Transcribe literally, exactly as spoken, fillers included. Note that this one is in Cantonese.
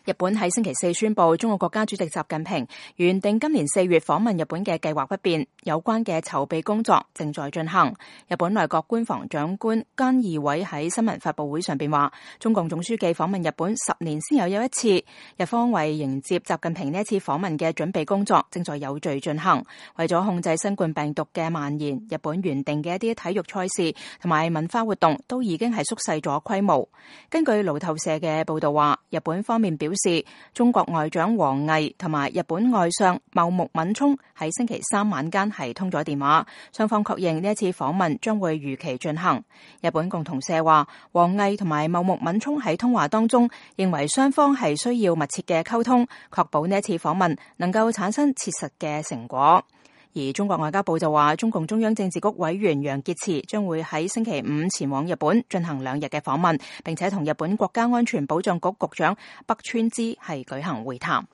日本喺星期四宣布，中國國家主席習近平原定今年四月訪問日本嘅計劃不變，有關嘅籌備工作正在進行。日本內閣官房長官菅義偉喺新聞發佈會上邊話，中共總書記訪問日本十年先有有一次，日方為迎接習近平呢一次訪問嘅準備工作正在有序進行。為咗控制新冠病毒嘅蔓延，日本原定嘅一啲體育賽事同埋文化活動都已經係縮細咗規模。根據路透社嘅報道話，日本方面表示，中國外長王毅同埋日本外相茂木敏充喺星期三晚間係通咗電話，雙方確認呢一次訪問將會如期進行。日本共同社話，王毅同埋茂木敏充喺通話當中認為雙方係需要密切嘅溝通，確保呢一次訪問能夠產生切實嘅成果。而中國外交部就話，中共中央政治局委員楊潔篪將會喺星期五前往日本進行兩日嘅訪問，並且同日本國家安全保障局局長北川支係舉行會談。